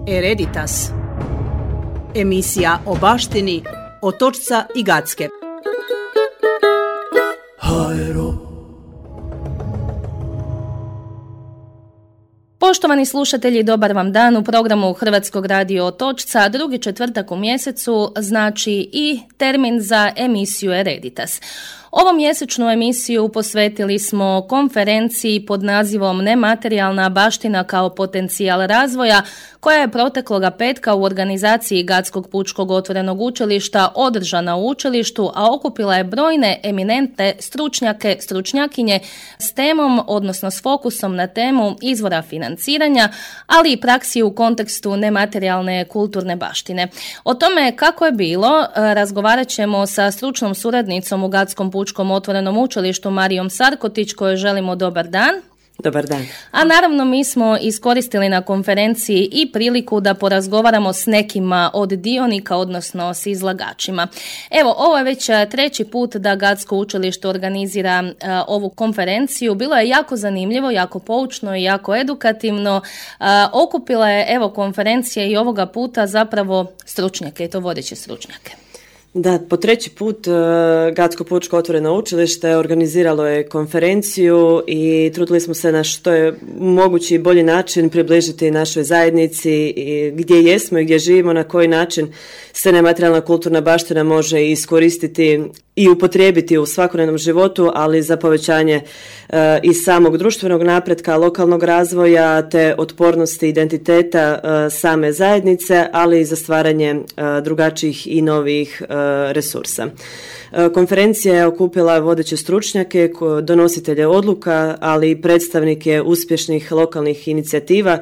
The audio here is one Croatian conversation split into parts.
Hereditas. Emisija o baštini Otočca i Gacke. Poštovani slušatelji, dobar vam dan u programu Hrvatskog radio Otočca. Drugi četvrtak u mjesecu znači i termin za emisiju Hereditas. Ovu mjesečnu emisiju posvetili smo konferenciji pod nazivom Nematerijalna baština kao potencijal razvoja, koja je protekloga petka u organizaciji Gatskog pučkog otvorenog učilišta održana u učilištu, a okupila je brojne eminentne stručnjake, stručnjakinje s temom, odnosno s fokusom na temu izvora financiranja, ali i praksi u kontekstu nematerijalne kulturne baštine. O tome kako je bilo razgovarat ćemo sa stručnom suradnicom u Gatskom pučkom otvorenom učilištu Marijom Sarkotić, kojoj želimo dobar dan. Dobar dan. A naravno mi smo iskoristili na konferenciji i priliku da porazgovaramo s nekima od dionika, odnosno s izlagačima. Evo, ovo je već treći put da Gatsko učilište organizira ovu konferenciju. Bilo je jako zanimljivo, jako poučno i jako edukativno. Okupila je, evo, konferencija i ovoga puta zapravo stručnjake, i to vodeće stručnjake. Da, po treći put Gatsko pučko otvoreno učilište organiziralo je konferenciju i trudili smo se na što je mogući bolji način približiti našoj zajednici gdje jesmo i gdje živimo, na koji način se nematerijalna kulturna baština može iskoristiti i upotrijebiti u svakodnevnom životu, ali za povećanje i samog društvenog napretka, lokalnog razvoja te otpornosti identiteta same zajednice, ali i za stvaranje drugačijih i novih resursa. Konferencija je okupila vodeće stručnjake, donositelje odluka, ali i predstavnike uspješnih lokalnih inicijativa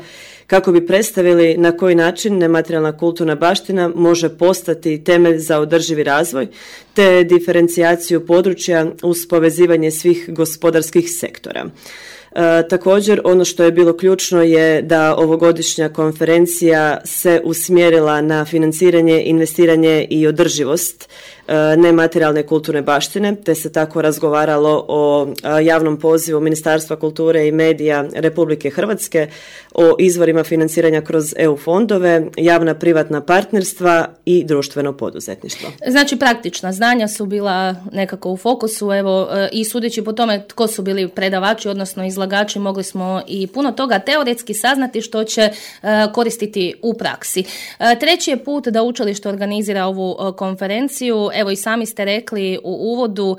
kako bi predstavili na koji način nematerijalna kulturna baština može postati temelj za održivi razvoj te diferencijaciju područja uz povezivanje svih gospodarskih sektora. Također, ono što je bilo ključno je da ovogodišnja konferencija se usmjerila na financiranje, investiranje i održivost nematerijalne kulturne baštine, te se tako razgovaralo o javnom pozivu Ministarstva kulture i medija Republike Hrvatske, o izvorima financiranja kroz EU fondove, javna privatna partnerstva i društveno poduzetništvo. Znači, praktična znanja su bila nekako u fokusu, evo, i sudeći po tome tko su bili predavači, odnosno izlagači, mogli smo i puno toga teoretski saznati što će koristiti u praksi. Treći je put da učilište organizira ovu konferenciju. Evo, i sami ste rekli u uvodu,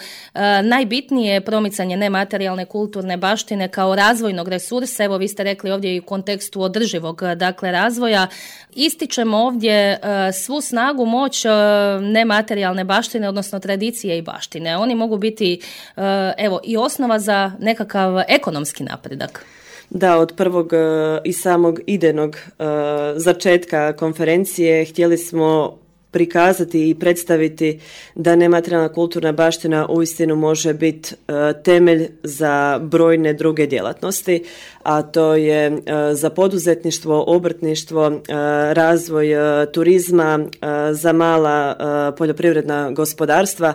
najbitnije je promicanje nematerijalne kulturne baštine kao razvojnog resursa. Evo, vi ste rekli ovdje i u kontekstu održivog, dakle, razvoja. Ističemo ovdje svu snagu, moć nematerijalne baštine, odnosno tradicije i baštine. Oni mogu biti, evo, i osnova za nekakav ekonomski napredak. Da, od prvog i samog idejnog začetka konferencije htjeli smo prikazati i predstaviti da nematerijalna kulturna baština uistinu može biti temelj za brojne druge djelatnosti, a to je za poduzetništvo, obrtništvo, razvoj turizma, za mala poljoprivredna gospodarstva,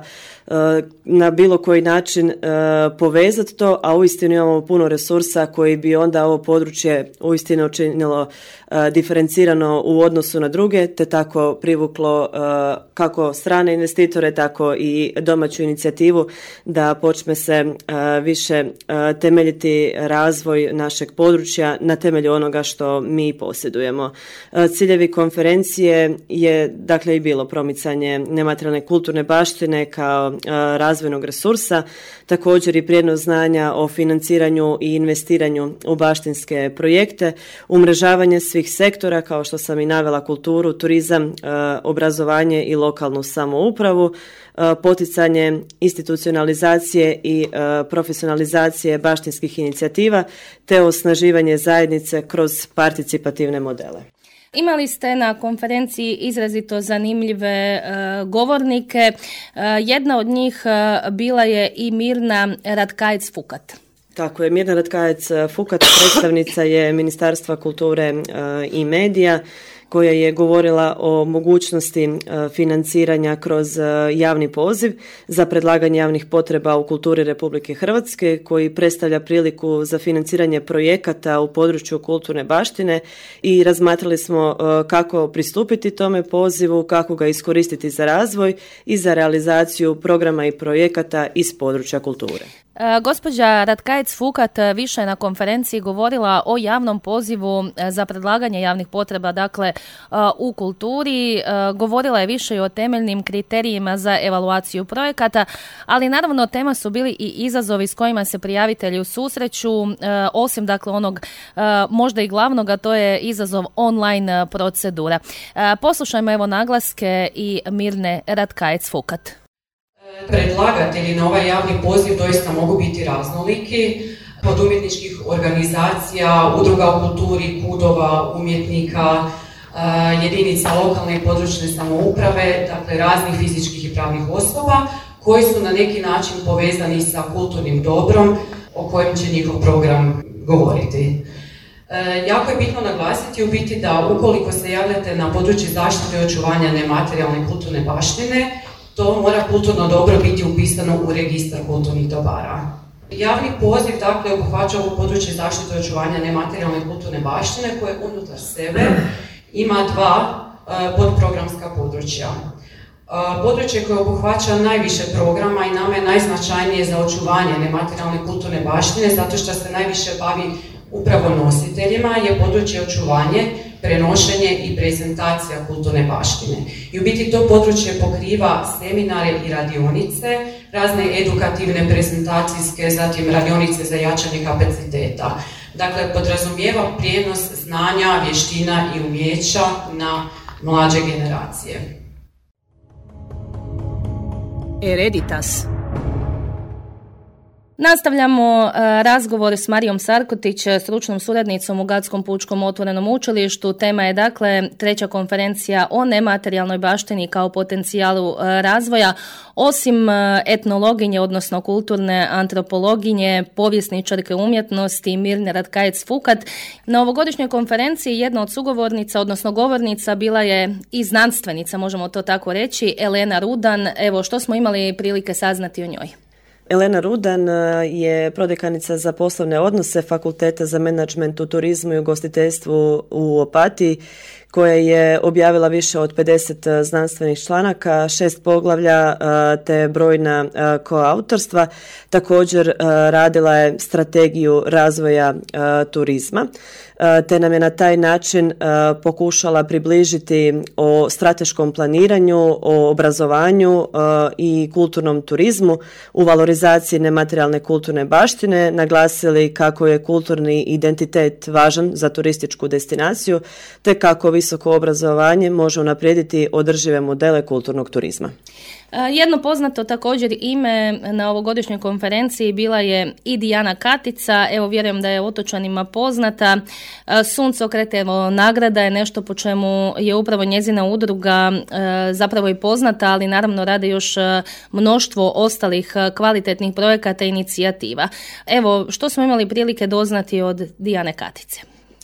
na bilo koji način povezati to, a uistinu imamo puno resursa koji bi onda ovo područje uistinu učinilo diferencirano u odnosu na druge, te tako privuklo kako strane investitore, tako i domaću inicijativu da počne se više temeljiti razvoj našeg područja na temelju onoga što mi posjedujemo. Ciljevi konferencije je dakle i bilo promicanje nematerijalne kulturne baštine kao razvojnog resursa, također i prijenos znanja o financiranju i investiranju u baštinske projekte, umrežavanje svih sektora kao što sam i navela, kulturu, turizam, obrazovanje i lokalnu samoupravu, poticanje institucionalizacije i profesionalizacije baštinskih inicijativa te osnaživanje zajednice kroz participativne modele. Imali ste na konferenciji izrazito zanimljive govornike. Jedna od njih bila je i Mirna Ratkajec-Fukat. Tako je, Mirna Ratkajec-Fukat predstavnica je Ministarstva kulture i medija koja je govorila o mogućnosti financiranja kroz javni poziv za predlaganje javnih potreba u kulturi Republike Hrvatske, koji predstavlja priliku za financiranje projekata u području kulturne baštine i razmatrali smo kako pristupiti tome pozivu, kako ga iskoristiti za razvoj i za realizaciju programa i projekata iz područja kulture. Gospođa Ratkajec-Fukat više je na konferenciji govorila o javnom pozivu za predlaganje javnih potreba, dakle u kulturi. Govorila je više i o temeljnim kriterijima za evaluaciju projekata, ali naravno tema su bili i izazovi s kojima se prijavitelji susreću, osim dakle onog možda i glavnog, a to je izazov online procedura. Poslušajmo evo naglaske i Mirne Ratkajec-Fukat. Predlagatelji na ovaj javni poziv doista mogu biti raznoliki, od umjetničkih organizacija, udruga u kulturi, kudova, umjetnika, jedinica lokalne i područne samouprave, dakle raznih fizičkih i pravnih osoba koji su na neki način povezani sa kulturnim dobrom o kojem će njihov program govoriti. Jako je bitno naglasiti u biti da ukoliko se javljate na područje zaštite i očuvanja nematerijalne kulturne baštine, to mora kulturno dobro biti upisano u registar kulturnih dobara. Javni poziv dakle obuhvaća ovo područje zaštite i očuvanja nematerijalne kulturne baštine koje unutar sebe ima dva podprogramska područja. Područje koje obuhvaća najviše programa i nama je najznačajnije za očuvanje nematerijalne kulturne baštine zato što se najviše bavi upravo nositeljima je područje očuvanje, prenošenje i prezentacija kulturne baštine. I u biti to područje pokriva seminare i radionice, razne edukativne, prezentacijske, zatim radionice za jačanje kapaciteta. Dakle, podrazumijeva prijenos znanja, vještina i umijeća na mlađe generacije. Hereditas. Nastavljamo razgovor s Marijom Sarkotić, stručnom suradnicom u Gatskom pučkom otvorenom učilištu. Tema je dakle treća konferencija o nematerijalnoj baštini kao potencijalu razvoja. Osim etnologinje, odnosno kulturne antropologinje, povjesničarke umjetnosti Mirne Ratkajec-Fukat, na ovogodišnjoj konferenciji jedna od sugovornica, odnosno govornica, bila je i znanstvenica, možemo to tako reći, Elena Rudan. Evo, što smo imali prilike saznati o njoj? Elena Rudan je prodekanica za poslovne odnose Fakulteta za menadžment u turizmu i ugostiteljstvu u Opatiji, koja je objavila više od 50 znanstvenih članaka, 6 poglavlja te brojna koautorstva. Također radila je strategiju razvoja turizma, te nam je na taj način pokušala približiti o strateškom planiranju, o obrazovanju i kulturnom turizmu u valorizaciji nematerijalne kulturne baštine, naglasili kako je kulturni identitet važan za turističku destinaciju, te kako visoko obrazovanje može unaprijediti održive modele kulturnog turizma. Jedno poznato također ime na ovogodišnjoj konferenciji bila je i Dijana Katica. Evo, vjerujem da je otočanima poznata. Suncokret, evo, nagrada je nešto po čemu je upravo njezina udruga zapravo i poznata, ali naravno rade još mnoštvo ostalih kvalitetnih projekata i inicijativa. Evo, što smo imali prilike doznati od Dijane Katice?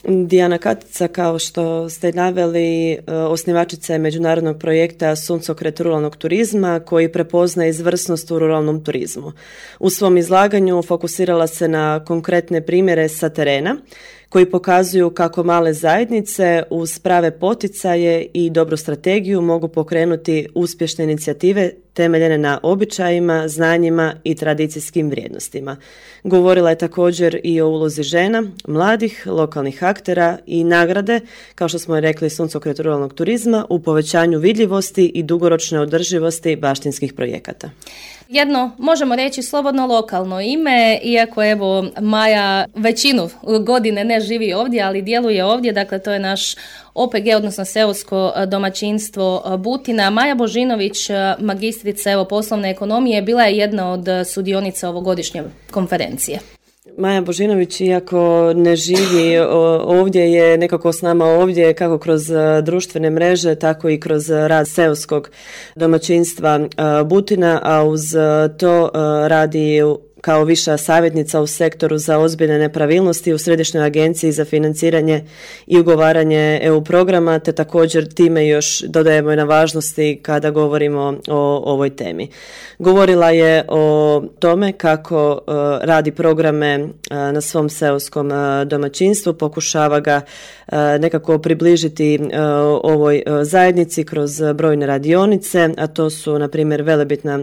Dijana Katica, kao što ste naveli, osnivačica je međunarodnog projekta Suncokret ruralnog turizma koji prepoznaje izvrsnost u ruralnom turizmu. U svom izlaganju fokusirala se na konkretne primjere sa terena koji pokazuju kako male zajednice uz prave poticaje i dobru strategiju mogu pokrenuti uspješne inicijative temeljene na običajima, znanjima i tradicijskim vrijednostima. Govorila je također i o ulozi žena, mladih, lokalnih aktera i nagrade, kao što smo rekli, Suncokret ruralnog turizma u povećanju vidljivosti i dugoročne održivosti baštinskih projekata. Jedno, možemo reći, slobodno lokalno ime, iako evo Maja većinu godine ne živi ovdje, ali djeluje ovdje, dakle to je naš OPG, odnosno seosko domaćinstvo Butina. Maja Božinović, magistrica evo poslovne ekonomije, bila je jedna od sudionica ovogodišnje konferencije. Maja Božinović, iako ne živi ovdje, je nekako s nama ovdje kako kroz društvene mreže, tako i kroz rad seoskog domaćinstva Butina, a uz to radi kao viša savjetnica u sektoru za ozbiljne nepravilnosti u Središnjoj agenciji za financiranje i ugovaranje EU programa, te također time još dodajemo i na važnosti kada govorimo o ovoj temi. Govorila je o tome kako radi programe na svom seoskom domaćinstvu, pokušava ga nekako približiti ovoj zajednici kroz brojne radionice, a to su na primjer velebitna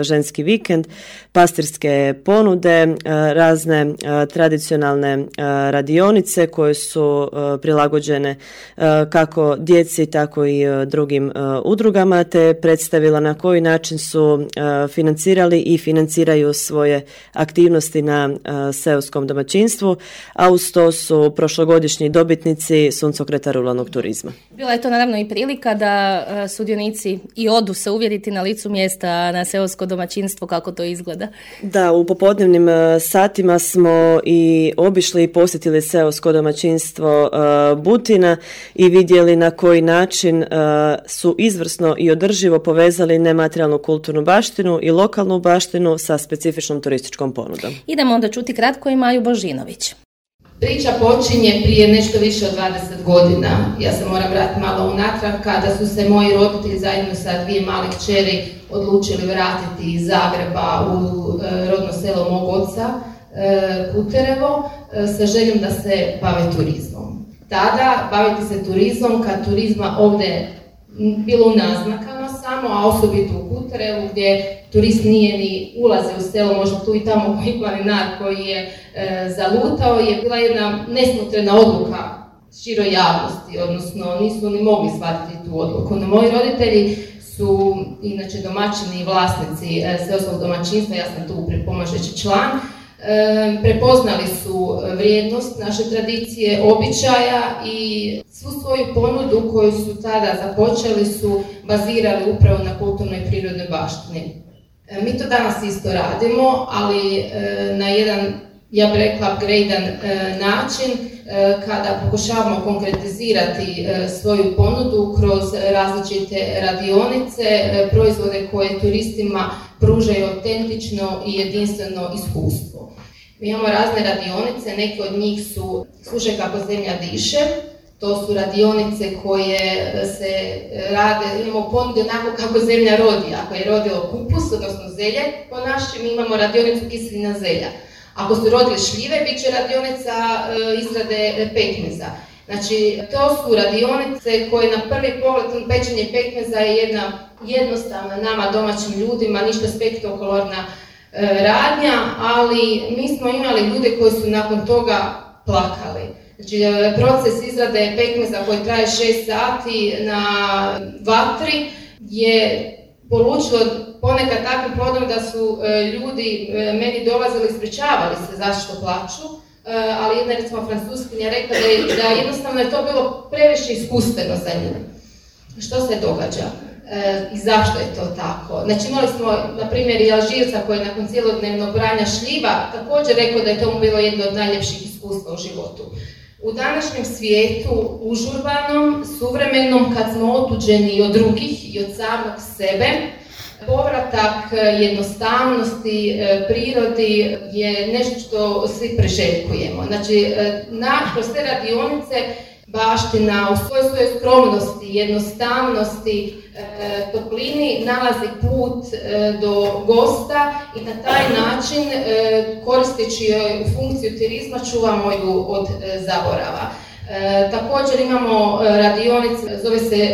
ženski vikend, pastirske ponude, razne tradicionalne radionice koje su prilagođene kako djeci tako i drugim udrugama, te predstavila na koji način su financirali i financiraju svoje aktivnosti na seoskom domaćinstvu, a uz to su prošlogodišnji dobitnici suncokreta ruralnog turizma. Bila je to naravno i prilika da sudionici i odu se uvjeriti na licu mjesta na seosko domaćinstvo kako to izgleda. Da, u popodnevnim satima smo i obišli i posjetili seosko domaćinstvo Butina i vidjeli na koji način su izvrsno i održivo povezali nematerijalnu kulturnu baštinu i lokalnu baštinu sa specifičnom turističkom ponudom. Idemo onda čuti kratko i Maju Božinović. Priča počinje prije nešto više od 20 godina. Ja se moram vratiti malo unatrag kada su se moji roditelji zajedno sa dvije male kćeri odlučili vratiti iz Zagreba u rodno selo mog oca, Kuterevo, sa željom da se bave turizmom. Tada baviti se turizmom kad turizma ovdje bilo naznakano samo, a osobito u Kuterevu gdje turist nije ni ulazio u selo, možda tu i tamo koji planinar koji je zalutao, je bila jedna nesmotrena odluka široj javnosti, odnosno nisu ni mogli shvatiti tu odluku. No, moji roditelji su inače domaćini i vlasnici seoskog domaćinstva, ja sam tu pripomažeći član, prepoznali su vrijednost naše tradicije, običaja i svu svoju ponudu koju su tada započeli su bazirali upravo na kulturnoj i prirodnoj baštini. Mi to danas isto radimo, ali na jedan, ja bih rekla, upgradean način kada pokušavamo konkretizirati svoju ponudu kroz različite radionice, proizvode koje turistima pružaju autentično i jedinstveno iskustvo. Mi imamo razne radionice, neke od njih su Slušaj kako zemlja diše. To su radionice koje se rade, imamo ponude onako kako zemlja rodi. Ako je rodilo kupus, odnosno zelje, po našem imamo radionicu kiselina zelja. Ako su rodile šljive, bit će radionica izrade pekmeza. Znači, to su radionice koje na prvi pogled pečenje pekmeza je jedna jednostavna nama domaćim ljudima, ništa spektakularna radnja, ali mi smo imali ljude koji su nakon toga plakali. Znači, proces izrade pekmeza koji traje 6 sati na vatri je polučilo ponekad takvim plodom da su ljudi meni dolazili, ispričavali se zašto plaču, ali jedna recimo francuskinja rekla da jednostavno je to bilo previše iskustveno za nju. Što se događa i zašto je to tako? Znači, imali smo, na primjer, i Alžirca koji je nakon cijelodnevnog branja šljiva također rekao da je to bilo jedno od najljepših iskustva u životu. U današnjem svijetu, užurbanom, suvremenom, kad smo otuđeni i od drugih i od samog sebe, povratak jednostavnosti, prirodi je nešto što svi priželjkujemo. Znači, kroz te radionice baština u svojoj skromnosti, jednostavnosti, toplini nalazi put do gosta i na taj način, koristeći joj u funkciju turizma, čuvamo ju od zaborava. Također imamo radionice, zove se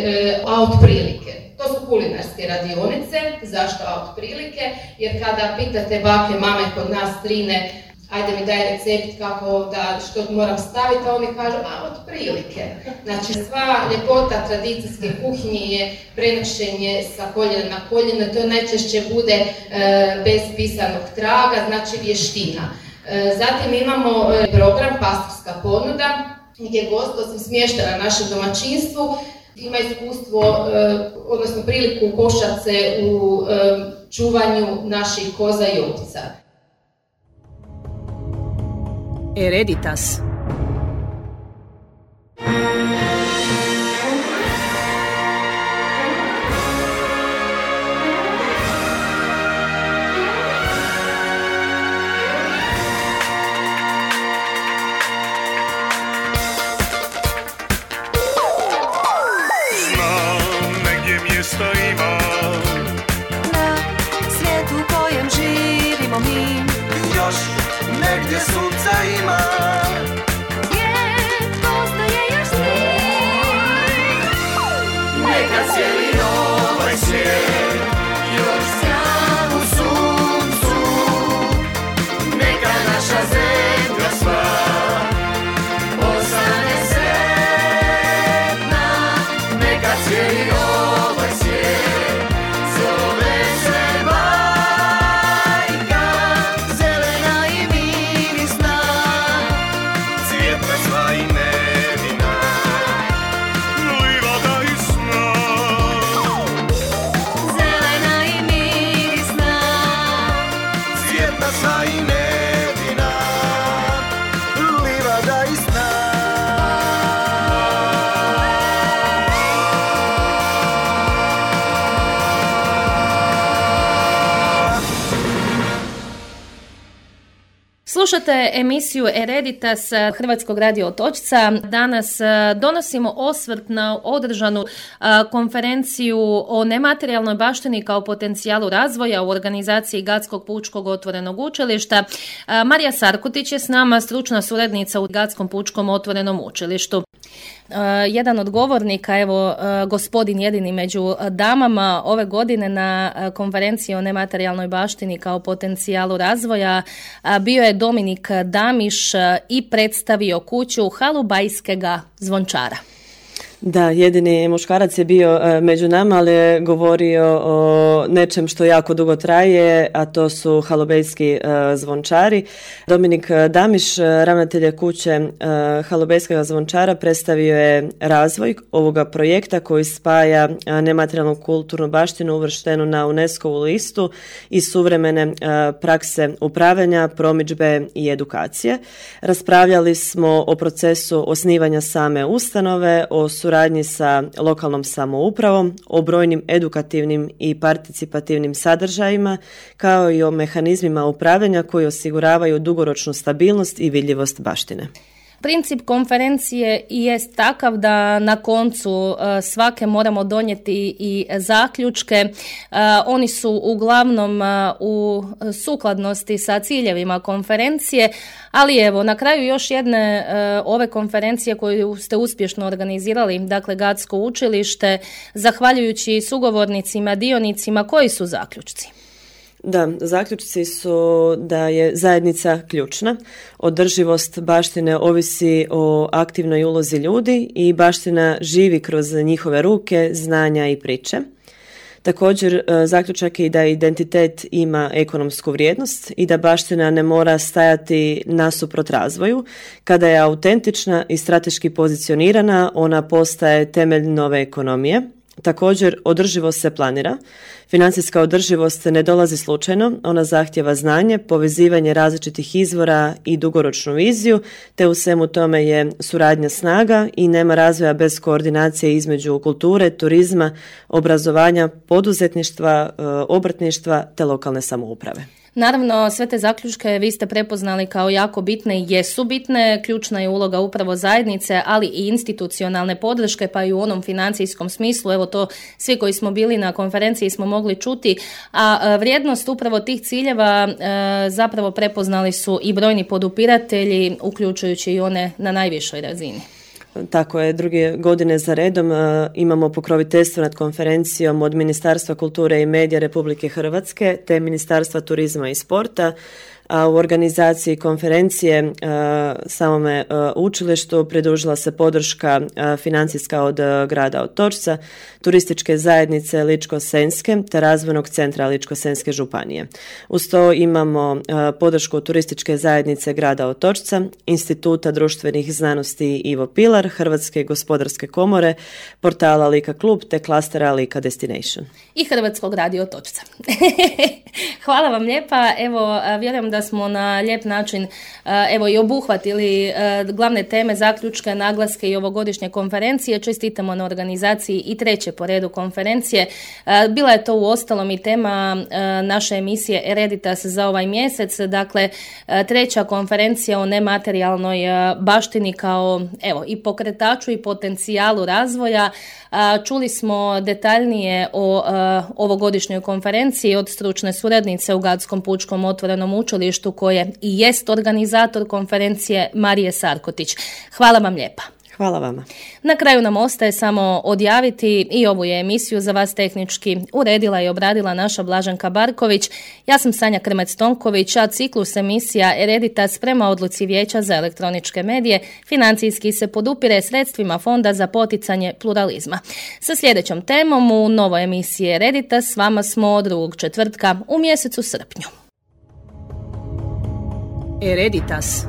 Out prilike. To su kulinarske radionice. Zašto Out prilike? Jer kada pitate bake, mame kod nas strine, ajde mi daj recept kako što moram staviti, a oni kažu, od prilike. Znači, sva ljepota tradicijske kuhinje je prenošenje sa koljena na koljeno, to najčešće bude bez pisanog traga, znači vještina. Zatim imamo program Pastorska ponuda, gdje gost, osim smještena na našem domaćinstvu, ima iskustvo, odnosno priliku košat se u čuvanju naših koza i ovca. Hereditas. Slušate emisiju Hereditas Hrvatskog radio Otočca. Danas donosimo osvrt na održanu konferenciju o nematerijalnoj baštini kao potencijalu razvoja u organizaciji Gatskog pučkog otvorenog učilišta. Marija Sarkutić je s nama, stručna suradnica u Gatskom pučkom otvorenom učilištu. Jedan od govornika, evo gospodin jedini među damama ove godine na konferenciji o nematerijalnoj baštini kao potencijalu razvoja bio je Dominik Damiš i predstavio kuću Halubajskega zvončara. Da, jedini muškarac je bio među nama, ali je govorio o nečem što jako dugo traje, a to su halubejski zvončari. Dominik Damiš, ravnatelj kuće Halubejskega zvončara, predstavio je razvoj ovoga projekta koji spaja nematerijalnu kulturnu baštinu uvrštenu na UNESCO-vu listu i suvremene prakse upravljanja, promidžbe i edukacije. Raspravljali smo o procesu osnivanja same ustanove, o suradnji sa lokalnom samoupravom, o brojnim edukativnim i participativnim sadržajima, kao i o mehanizmima upravljanja koji osiguravaju dugoročnu stabilnost i vidljivost baštine. Princip konferencije jest takav da na koncu svake moramo donijeti i zaključke. Oni su uglavnom u sukladnosti sa ciljevima konferencije, ali evo na kraju još jedne ove konferencije koju ste uspješno organizirali, dakle Gatsko učilište, zahvaljujući sugovornicima, dionicima, koji su zaključci? Da, zaključci su da je zajednica ključna. Održivost baštine ovisi o aktivnoj ulozi ljudi i baština živi kroz njihove ruke, znanja i priče. Također, zaključak je da identitet ima ekonomsku vrijednost i da baština ne mora stajati nasuprot razvoju. Kada je autentična i strateški pozicionirana, ona postaje temelj nove ekonomije. Također, održivost se planira. Financijska održivost ne dolazi slučajno, ona zahtjeva znanje, povezivanje različitih izvora i dugoročnu viziju, te u svemu tome je suradnja snaga i nema razvoja bez koordinacije između kulture, turizma, obrazovanja, poduzetništva, obrtništva te lokalne samouprave. Naravno, sve te zaključke vi ste prepoznali kao jako bitne i jesu bitne. Ključna je uloga upravo zajednice, ali i institucionalne podrške, pa i u onom financijskom smislu. Evo to svi koji smo bili na konferenciji smo mogli čuti, a vrijednost upravo tih ciljeva zapravo prepoznali su i brojni podupiratelji, uključujući i one na najvišoj razini. Tako je, druge godine za redom imamo pokroviteljstvo nad konferencijom od Ministarstva kulture i medija Republike Hrvatske te Ministarstva turizma i sporta, a u organizaciji konferencije samome učilištu pridružila se podrška financijska od grada Otočca, turističke zajednice Ličko-senjske te razvojnog centra Ličko-senjske županije. Uz to imamo podršku turističke zajednice grada Otočca, Instituta društvenih znanosti Ivo Pilar, Hrvatske gospodarske komore, portala Lika klub te klastera Lika Destination. I Hrvatskog radio Otočca. Hvala vam lijepa. Evo, vjerujem da smo na lijep način i obuhvatili glavne teme, zaključke, naglaske i ovogodišnje konferencije. Čestitamo na organizaciji i treće po redu konferencije. Bila je to uostalom i tema naše emisije Hereditas za ovaj mjesec. Dakle, treća konferencija o nematerijalnoj baštini kao i pokretaču i potencijalu razvoja. Čuli smo detaljnije o ovogodišnjoj konferenciji od stručne suradnice u Gatskom pučkom otvorenom učilištu koje i jest organizator konferencije Marije Sarkotić. Hvala vam lijepa. Hvala vama. Na kraju nam ostaje samo odjaviti i ovu je emisiju za vas tehnički uredila i obradila naša Blaženka Barković. Ja sam Sanja Krmec-Tonković, a ciklus emisija Hereditas prema odluci Vijeća za elektroničke medije financijski se podupire sredstvima Fonda za poticanje pluralizma. Sa sljedećom temom u novoj emisiji Hereditas s vama smo drugog četvrtka u mjesecu srpnju. Hereditas.